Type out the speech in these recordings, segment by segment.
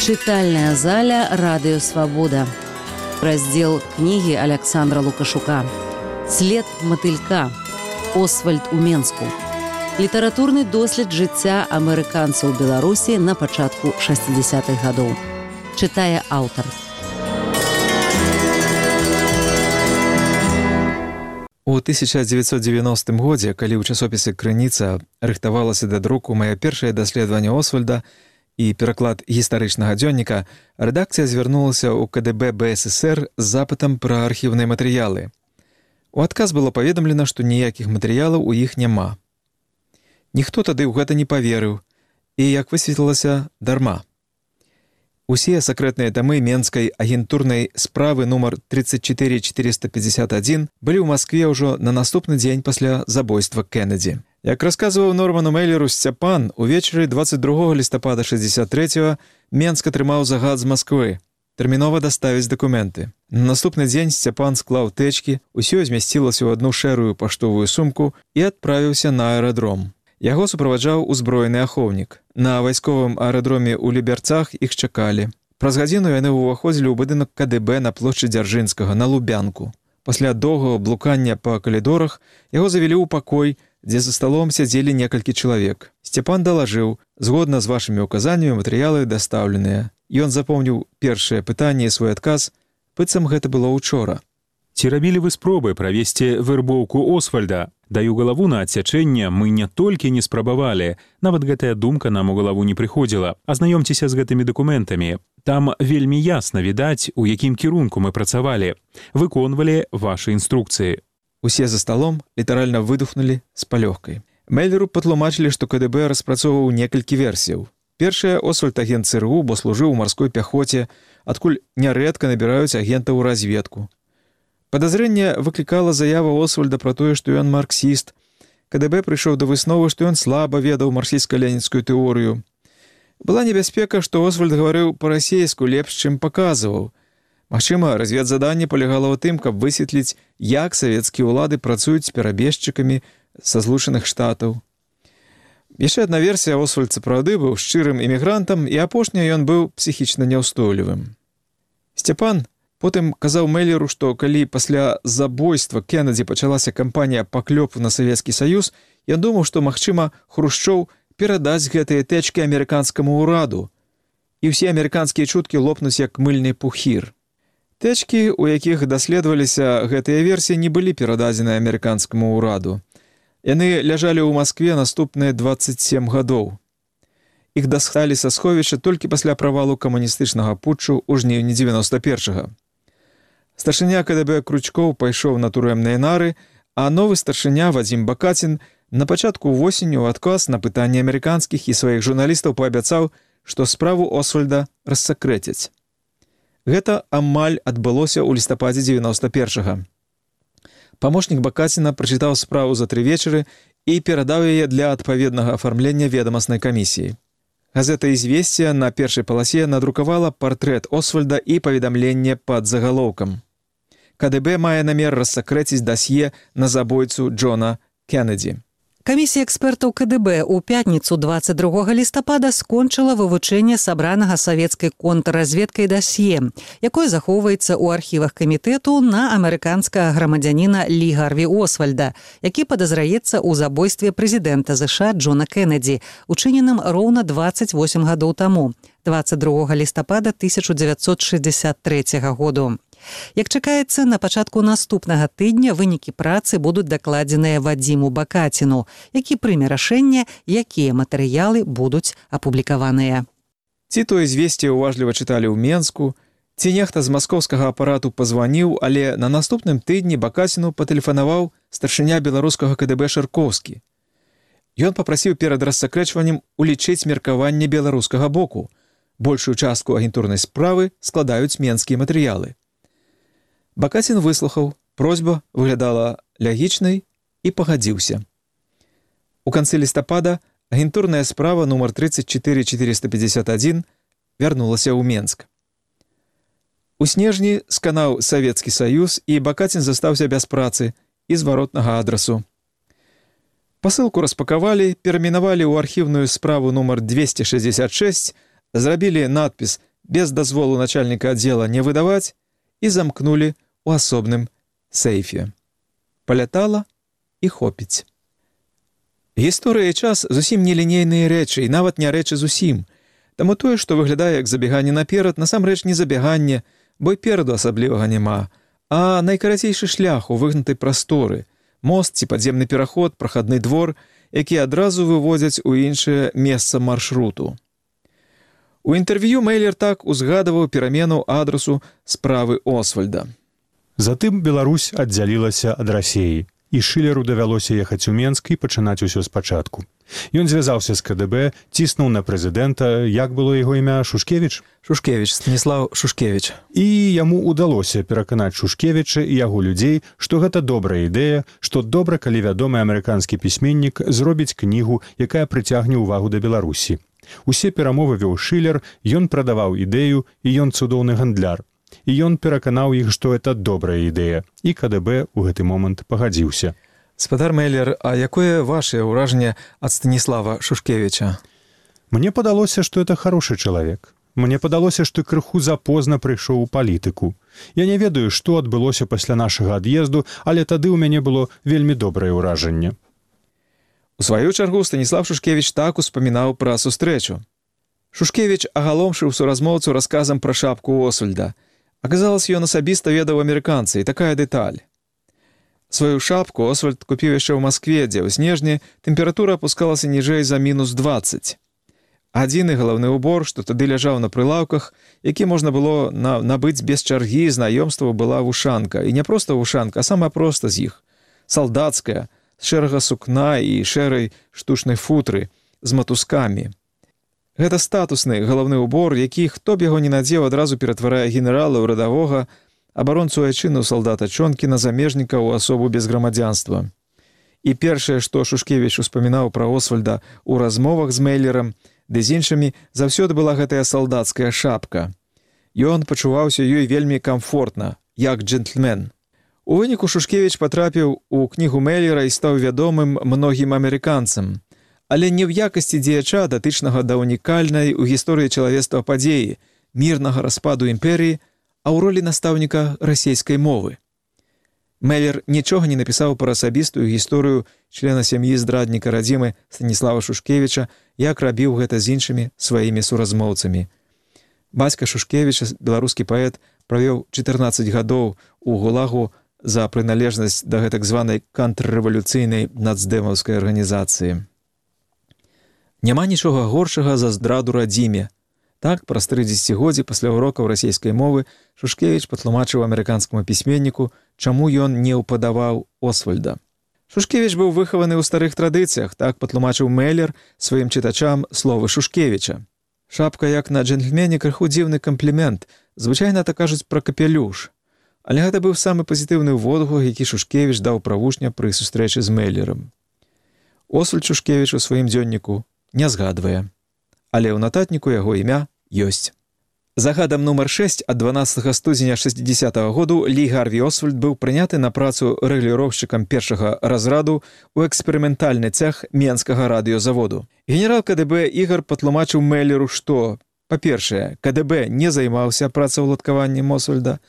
Читальная заля «Радио Свобода». Раздел книги Александра Лукашука. «След мотылька. Освальд у Менску». Літаратурны дослед жыцця амерыканцаў Беларусі на пачатку 60-х гадоў. Чытае аўтар. У 1990 годзе, калі ў часопісе «Крыніца» рыхтавалася да друку маё першае даследаванне Освальда і пераклад гістарычнага дзённіка, рэдакцыя звярнулася ў КДБ БССР з запытам пра архіўныя матэрыялы. У адказ было паведамлена, што ніякіх матэрыялаў у іх няма. Ніхто тады ў гэта не паверыў, і, як высветлілася, дарма. Усе сакрэтныя тамы менскай агентурнай справы нумар 34451 былі ў Маскве ўжо на наступны дзень пасля забойства Кеннеді. Як расказваў Норману Мейлеру Сцяпан, увечары 22 лістапада 63-го Менск атрымаў загад з Масквы тэрмінова даставіць дакументы. На наступны дзень Сцяпан склаў тэчкі, усё змясцілася ў адну шэрую паштовую сумку і адправіўся на аэрадром. Яго суправаджаў узброены ахоўнік. На вайсковым аэрадроме ў Люберцах іх чакалі. Праз гадзіну яны ўваходзілі ў будынак КДБ на плошчы Дзяржынскага, на Лубянку. Пасля доўгага блукання па калідорах яго завялі ў пакой, дзе за сталом сядзелі некалькі чалавек. Сцяпан далажыў: згодна з вашымі ўказаннямі матэрыялы дастаўленыя. Ён запомніў першае пытанне і свой адказ, быццам гэта было ўчора. Ці рабілі вы спробы правесці вэрбоўку Освальда? Даю галаву на адсячэнне, мы не толькі не спрабавалі, нават гэтая думка нам у галаву не прыходзіла. Азнаёмцеся з гэтымі дакументамі. Там вельмі ясна відаць, у якім кірунку мы працавалі. Выконвалі вашы інструкцыі. Усе за сталом літаральна выдухнулі з палёгкай. Мейлеру патлумачылі, што КДБ распрацоўваў некалькі версіяў. Першая, Освальд агент ЦРУ, бо служыў у марской пяхоце, адкуль нярэдка набіраюць агента ў разведку. Падазрэнне выклікала заява Освальда пра тое, што ён марксіст. КДБ прыйшоў да высновы, што ён слаба ведаў марксістска-ленінскую тэорыю. Была небяспека, што Освальд гаварыў па-расейску лепш, чым паказваў. Магчыма, разведзаданне палягала ў тым, каб высветліць, як савецкія ўлады працуюць з перабежчыкамі са Злучаных Штатаў. Яшчэ адна версія: Освальд сапраўды быў шчырым імігрантам, і апошняя ён быў псіхічна няўстойлівым. Сцяпан потым казаў Мейлеру, што калі пасля забойства Кеннеді пачалася кампанія паклёпу на Савецкі Саюз, я думаў, што, магчыма, Хрушчоў перадаць гэтыя тэчкі амерыканскаму ўраду, і ўсе амерыканскія чуткі лопнуць як мыльны пухір. Тэчкі, у якіх даследаваліся гэтыя версіі, не былі перададзены амерыканскаму ўраду. Яны ляжалі ў Маскве наступныя 27 гадоў. Іх дасталі са сховішча толькі пасля правалу камуністычнага путчу ў жніўні 91-го. Старшыня КДБ Кручкоў пайшоў на турэмныя нары, а новы старшыня Вадзім Бакацін на пачатку восені ў адказ на пытанні амерыканскіх і сваіх журналістаў паабяцаў, што справу Освальда рассакрэцяць. Гэта амаль адбылося ў лістападзе 91-го. Памочнік Бакаціна прачытаў справу за 3 вечары і перадаў яе для адпаведнага афармлення ведамаснай камісіі. Газета «Ізвесція» на першай паласе надрукавала партрэт Освальда і паведамленне пад загалоўкам. КДБ мае намер рассакрэціць дасье на забойцу Джона Кеннеді. Камісія экспертаў КДБ ў пятніцу 22 лістапада скончыла вывучэнне сабранага савецкай контрразведкай дасье, якое захоўваецца ў архівах камітэту на амерыканскага грамадзяніна Лі Гарві Освальда, які падазраецца ў забойстве прэзідэнта ЗША Джона Кеннеді, учыненым роўна 28 гадоў таму, 22 лістапада 1963 году. Як чакаецца, на пачатку наступнага тыдня вынікі працы будуць дакладзеныя Вадзіму Бакаціну, які прыме рашэнне, якія матэрыялы будуць апублікаваныя. Ці то «Ізвесце» уважліва чыталі ў Менску, ці нехта з маскоўскага апарату пазваніў, але на наступным тыдні Бакаціну патэлефанаваў старшыня беларускага КДБ Шаркоўскі. Ён папрасіў перад рассакрэчваннем улічыць меркаванне беларускага боку. Большую частку агентурнай справы складаюць менскія матэрыялы. Бакацін выслухаў, просьба выглядала лягічнай і пагадзіўся. У канцы лістапада агентурная справа нумар 34451 вярнулася ў Менск. У снежні сканаў Савецкі Саюз, і Бакацін застаўся без працы і зваротнага адрасу. Пасылку распакавалі, перамінавалі ў архіўную справу нумар 266, зрабілі надпіс без дазволу начальніка аддзела не выдаваць і замкнулі ў асобным сейфе. Палятала і хопіць. Гісторыя і час зусім не лінейныя рэчы, і нават не рэчы зусім. Таму тое, што выглядае як забеганне наперад, насамрэч не забеганне, бо і пераду асаблівага няма, а найкарацейшы шлях у выгнутай прасторы, мост ці падземны пераход, прахадны двор, які адразу выводзяць у іншае месца маршруту. У інтэрв'ю Мейлер так узгадаваў перамену адрасу справы Освальда. Затым Беларусь аддзялілася ад Расіі, і Шылеру давялося ехаць у Менск і пачынаць усё спачатку. Ён звязаўся з КДБ, ціснуў на прэзідэнта, як было яго імя, Шушкевіч? Шушкевіч, Станіслав Шушкевіч. І яму ўдалося пераканаць Шушкевіча і яго людзей, што гэта добрая ідэя, што добра, калі вядомы амерыканскі пісьменнік зробіць кнігу, якая прыцягне ўвагу да Беларусі. Усе перамовы вёў Шылер, ён прадаваў ідэю, і ён цудоўны гандляр. І ён пераканаў іх, што это добрая ідэя. І КДБ ў гэты момант пагадзіўся. Спадар Мейлер, а якое вашее ўражанне ад Станіслава Шушкевіча? Мне падалося, што это хорошы чалавек. Мне падалося, што крыху запозна прыйшоў у палітыку. Я не ведаю, што адбылося пасля нашага ад'езду, але тады ў мяне было вельмі добрае ўражанне. У сваю чаргу Станіслав Шушкевіч так успамінаў пра сустрэчу. Шушкевіч агаломшыў суразмоўцу расказам пра шапку Освальда. Аказалось, ён асабіста ведаў амерыканца, і такая дэталь. Сваю шапку Освальд купіў яшчэ ў Маскве, дзе ў снежні тэмпература апускалася ніжэй за -20. Адзіны галаўны ўбор, што тады ляжаў на прылаўках, які можна было набыць без чаргі, знаёмства была вушанка. І не проста вушанка, а самая проста з іх. Салдацкая, з шэрага сукна і шэрай штучнай футры, з матускамі. Гэта статусны галаўны ўбор, які, хто б яго не надзеў, адразу ператварае генерала ў радавога, абаронцу айчыны ў салдата Чонкі на замежніка ў асобу без грамадзянства. І першае, што Шушкевіч успамінаў пра Освальда ў размовах з Мейлерам, ды з іншымі, заўсёды была гэтая салдацкая шапка. Ён пачуваўся ёй вельмі камфортна, як джентльмен. У выніку Шушкевіч патрапіў у кнігу Мейлера і стаў вядомым многім амерыканцам, але не ў якасці дзеяча, датычнага да унікальнай у гісторыі чалавецтва падзеі, мірнага распаду імперіі, а ў ролі настаўніка расійскай мовы. Мейлер нічога не напісаў пра асабістую гісторыю члена сям'і здрадніка радзімы Станіслава Шушкевіча, як рабіў гэта з іншымі сваімі суразмоўцамі. Бацька Шушкевіча, беларускі паэт, правёў 14 гадоў у ГУЛАГу за прыналежнасць да гэтак званай контррэвалюцыйнай нацдэмаўскай арганізацыі. Няма нічога горшага за здраду радзіме. Так, праз 3 дзесяцігоддзі пасля урокаў расійскай мовы Шушкевіч патлумачыў амерыканскаму пісьменніку, чаму ён не ўпадаваў Освальда. Шушкевіч быў выхаваны ў старых традыцыях, так патлумачыў Мейлер сваім чытачам словы Шушкевіча. Шапка, як на джентльмене, крыху дзіўны камплімент, звычайна так кажуць пра капелюш. Але гэта быў самы пазітыўны водгук, які Шушкевіч даў пра вучня пры сустрэчы з Мейлерам. Освальд Шушкевіч у сваім дзённіку не згадвае, але ў нататніку яго імя ёсць. Загадам нумар 6 ад 12 студзеня 60-го году Лі Гарві Освальд быў прыняты на працу рэгуліроўшчыкам першага разраду ў эксперыментальны цэх Менскага радыёзаводу. Генерал КДБ Ігар патлумачыў Мейлеру, што, па-першае, КДБ не займаўся працаўладкаваннем Освальда,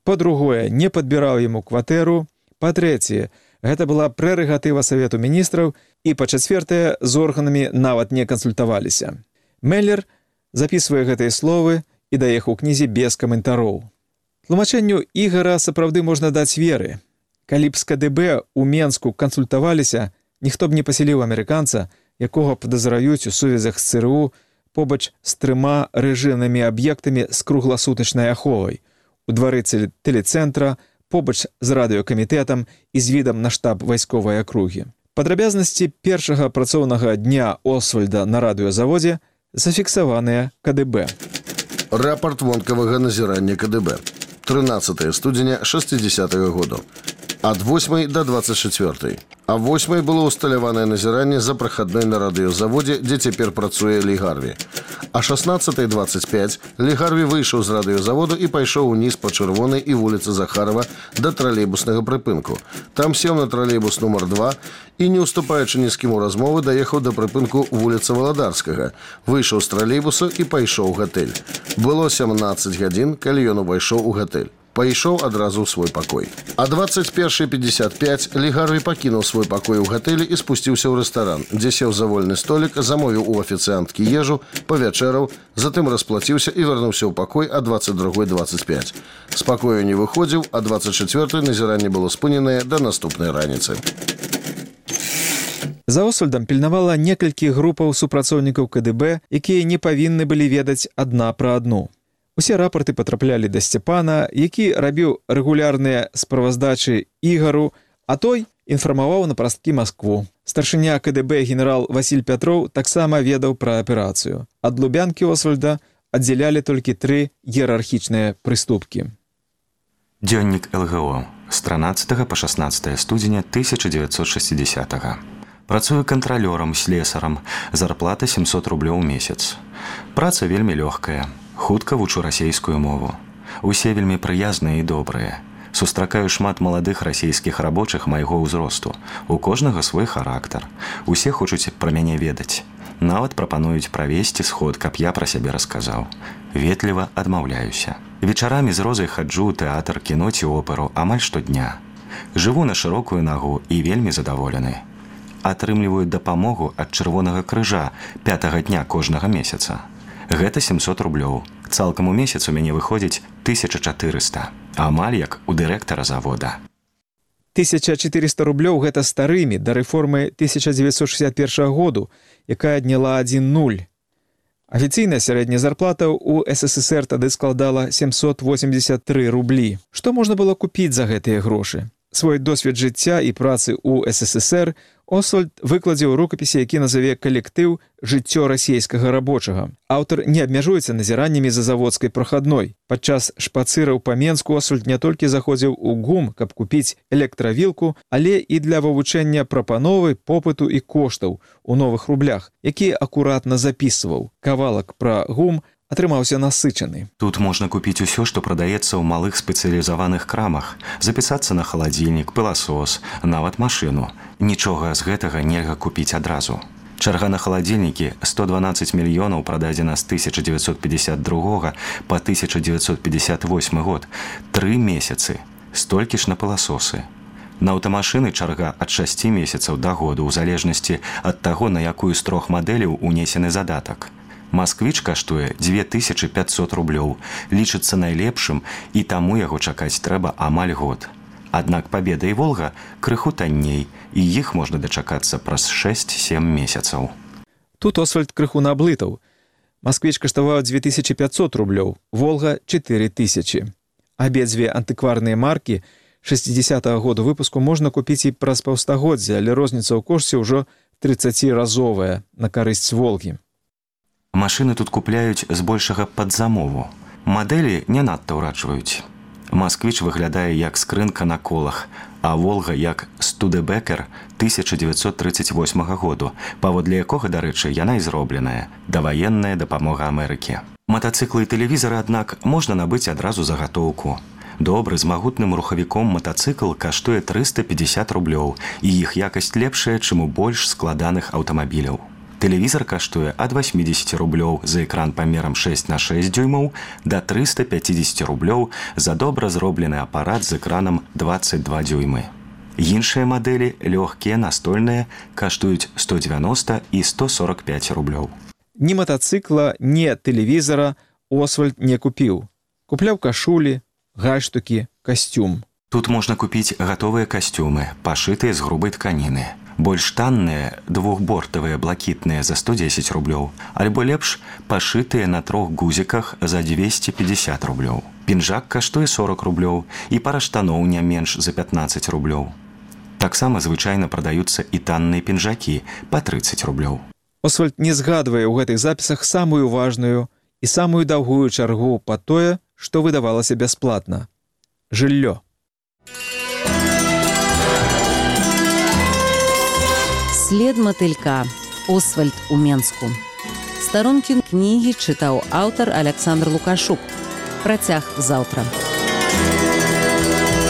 па-другое, не падбіраў яму кватэру, па-трэцяе, гэта была прэрэгатыва Савету міністраў, і па-чацвёртае, з органамі нават не кансультаваліся. Мейлер запісвае гэтыя словы і дае іх у кнізе без каментароў. Тлумачэнню Ігара сапраўды можна даць веры. Калі б з КДБ у Менску кансультаваліся, ніхто б не пасяліў амерыканца, якога падазраюць у сувязях з ЦРУ побач з 3 рэжымнымі аб'ектамі з кругласутачнай аховай, у двары тэлецэнтра, побач з радыёкамітэтам і з відам на штаб вайсковай акругі. Падрабязнасці першага працоўнага дня Освальда на радыёзаводзе зафіксаваныя КДБ. Рапорт вонкавага назірання КДБ. 13 студзеня 60-го году. Ад 8 до 24. А 8 было усталяванае назіранне за прахадной на радыёзаводзе, дзе цяпер працуе Лі Гарві. А 16:25 Лі Гарві выйшаў з радыёзаводу і пайшоў уніз па Чырвонай і вуліцы Захарова да тралейбуснага прыпынку. Там сеў на тралейбус нумар 2 і, не ўступаючы ні з кім у размовы, даехаў да прыпынку вуліцы Валадарскага, выйшаў з тралейбуса і пайшоў у гатэль. Было 17 гадзін, калі ён увайшоў у гатэль. Пайшоў адразу ў свой пакой. А 21:55 Лі Гарві пакінуў свой пакой у гатэлі і спусціўся ў рэстаран, дзе сеў за вольны столік, замовіў у афіцыянткі ежу, павячэраў, затым расплаціўся і вярнуўся ў пакой а 22:25. З пакою не выходзіў, а 24 назіранне было спыненае да наступнай раніцы. За Освальдам пільнавала некалькі групаў супрацоўнікаў КДБ, якія не павінны былі ведаць адна пра адну. Усе рапорты патраплялі да Сцяпана, які рабіў рэгулярныя справаздачы Ігару, а той інфармаваў на прасткі Маскву. Старшыня КДБ генерал Васіль Пятроў таксама ведаў пра аперацыю. Ад Лубянкі Освальда аддзялялі толькі 3 іерархічныя прыступкі. Дзённік ЛГО з 13 па 16 студзеня 1960-го. Працую кантралёрам, слесарам, зарплата 700 рублёў у месяц. Праца вельмі лёгкая. Хутка вучу расейскую мову. Усе вельмі прыязныя і добрыя. Сустракаю шмат маладых расійскіх рабочых майго ўзросту. У кожнага свой характар. Усе хочуць пра мяне ведаць. Нават прапануюць правесці сход, каб я пра сябе расказаў. Ветліва адмаўляюся. Вечарамі з Розай хаджу ў тэатр, кіно ці оперу амаль штодня. Жыву на шырокую нагу і вельмі задаволены. Атрымліваю дапамогу ад Чырвонага крыжа 5-го дня кожнага месяца. Гэта 700 рублёў. Цалкам у месяц у мяне выходзіць 1400. Амаль як у дырэктара завода. 1400 рублёў гэта старымі да рэформы 1961 году, якая адняла 1,0. Афіцыйная сярэдняя зарплата ў СССР тады складала 783 рублі. Што можна было купіць за гэтыя грошы? Свой досвед жыцця і працы ў СССР Освальд выкладзе ў рукапісе, які назаве калектыў «Жыццё расейскага рабочага». Аўтар не абмяжуецца назіраннямі за заводскай прахадной. Падчас шпацыраў па Менску Освальд не толькі заходзіў у ГУМ, каб купіць электравілку, але і для вывучэння прапановы, попыту і коштаў у новых рублях, які акуратна запісваў. Кавалак пра ГУМ атрымаўся насычаны. Тут можна купіць усё, што прадаецца ў малых спецыялізаваных крамах, запісацца на халадзільнік, пыласос, нават машыну. Нічога з гэтага нельга купіць адразу. Чарга на халадзільнікі 112 мільёнаў прададзена з 1952 па 1958 год. 3 месяцы. Столькі ж на пыласосы. На аўтамашыны чарга ад 6 месяцаў да году, у залежнасці ад таго, на якую з 3 мадэляў унесены задатак. Масквіч каштуе 2500 рублёў, лічыцца найлепшым, і таму яго чакаць трэба амаль год. Аднак Пабеда і Волга крыху танней, і іх можна дачакацца праз 6-7 месяцаў. Тут Освальд крыху наблытаў. Масквіч каштаваў 2500 рублёў, Волга – 4000. Абедзве антыкварныя маркі 60-го году выпуску можна купіць і праз паўстагоддзя, але розніца ў кошце ўжо 30-разовая на карысць Волгі. Машыны тут купляюць збольшага пад замову. Мадэлі не надта ўраджваюць. Масквіч выглядае як скрынка на колах, а Волга як Студебекер 1938 году, паводле якога, дарэчы, яна і зробленая, даваенная дапамога Амерыкі. Матацыклы і тэлевізары, аднак, можна набыць адразу загатоўку. Добры з магутным рухавіком матацыкл каштуе 350 рублёў, і іх якасць лепшая, чым у больш складаных аўтамабіляў. Тэлевізар каштуе ад 80 рублёў за экран памерам 6х6 дюймаў да 350 рублёў за добра зроблены апарат з экранам 22 дюймы. Іншыя мадэлі, лёгкія, настольныя, каштуюць 190 і 145 рублёў. Ні матацыкла, ні тэлевізара Освальд не купіў. Купляў кашулі, гальштукі, касцюм. Тут можна купіць гатовыя касцюмы, пашытыя з грубай тканіны. Больш танныя, двухбортавыя блакітныя за 110 рублёў, альбо лепш пашытыя на 3 гузіках за 250 рублёў. Пінжак каштуе 40 рублёў і пара штаноў не менш за 15 рублёў. Таксама звычайна прадаюцца і танныя пінжакі па 30 рублёў. Освальд не згадвае ў гэтых запісах самую важную і самую даўгую чаргу па тое, што выдавалася бясплатна – жыллё. След мотылька. Освальд у Менску. Старонкі кнігі чытаў аўтар Александр Лукашук. Працяг заўтра.